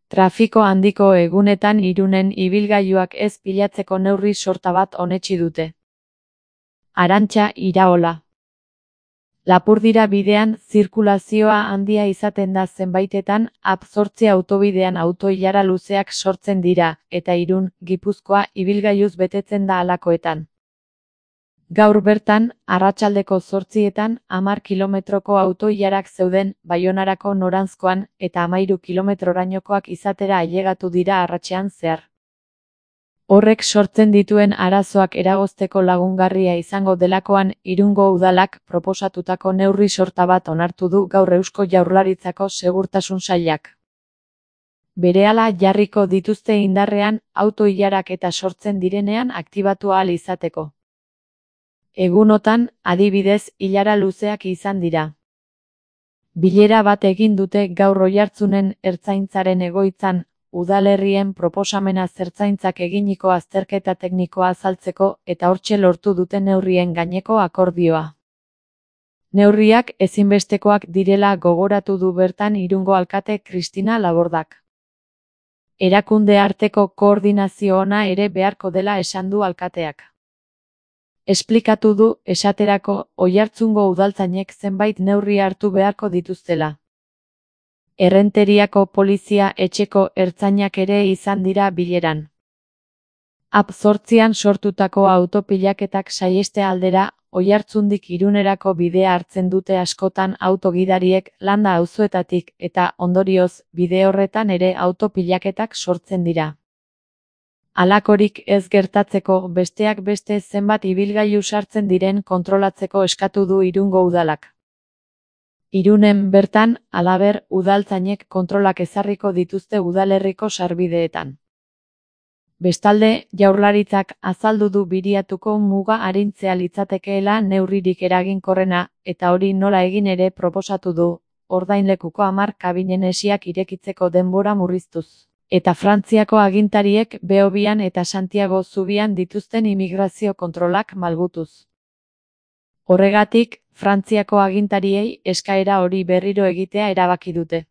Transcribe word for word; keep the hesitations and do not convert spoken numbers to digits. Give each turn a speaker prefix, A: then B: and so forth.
A: Trafiko handiko egunetan Irunen ibilgailuak ez pilatzeko neurri sorta bat onetsi dute. Arantxa Iraola. Lapurdira bidean zirkulazioa handia izaten da zenbaitetan, A P zortzi autobidean auto-ilara luzeak sortzen dira, eta Irun, Gipuzkoa ibilgailuz betetzen da halakoetan. Gaur bertan, arratsaldeko zortzietan, hamar kilometroko auto-ilarak zeuden Baionarako noranzkoan, eta hamahiru kilometrorainokoak izatera ailegatu dira arratsean zehar. Horrek sortzen dituen arazoak eragozteko lagungarria izango delakoan, Irungo Udalak proposatutako neurri sorta bat onartu du gaur Eusko Jaurlaritzako Segurtasun Sailak. Berehala jarriko dituzte indarrean, auto-ilarak eta sortzen direnean aktibatu ahal izateko. Egunotan, adibidez, ilara luzeak izan dira. Bilera bat egin dute gaur Oiartzunen Ertzaintzaren egoitzan, udalerrien proposamena zertzaintzak eginiko azterketa teknikoa azaltzeko eta hortxe lortu dute neurrien gaineko akordioa. Neurriak ezinbestekoak direla gogoratu du bertan Irungo alkate Kristina Labordak. Erakunde arteko koordinazio ona ere beharko dela esan du alkateak. Esplikatu du, esaterako, Oiartzungo udaltzainek zenbait neurri hartu beharko dituztela. Errenteriako polizia etxeko ertzainak ere izan dira bileran. A P zortzian sortutako autopilaketak saiheste aldera, Oiartzundik Irunerako bidea hartzen dute askotan autogidariek landa auzoetatik eta, ondorioz, bide horretan ere autopilaketak sortzen dira. Halakorik ez gertatzeko besteak beste zenbat ibilgailu sartzen diren kontrolatzeko eskatu du Irungo Udalak. Irunen bertan, halaber, udaltzainek kontrolak ezarriko dituzte udalerriko sarbideetan. Bestalde, Jaurlaritzak azaldu du Biriatuko muga arintzea litzatekeela neurririk eraginkorrena, eta hori nola egin ere proposatu du, ordainlekuko hamar kabinen hesiak irekitzeko denbora murriztuz. Eta Frantziako agintariek Beobian eta Santiago zubian dituzten imigrazio kontrolak malgutuz. Horregatik, Frantziako agintariei eskaera hori berriro egitea erabaki dute.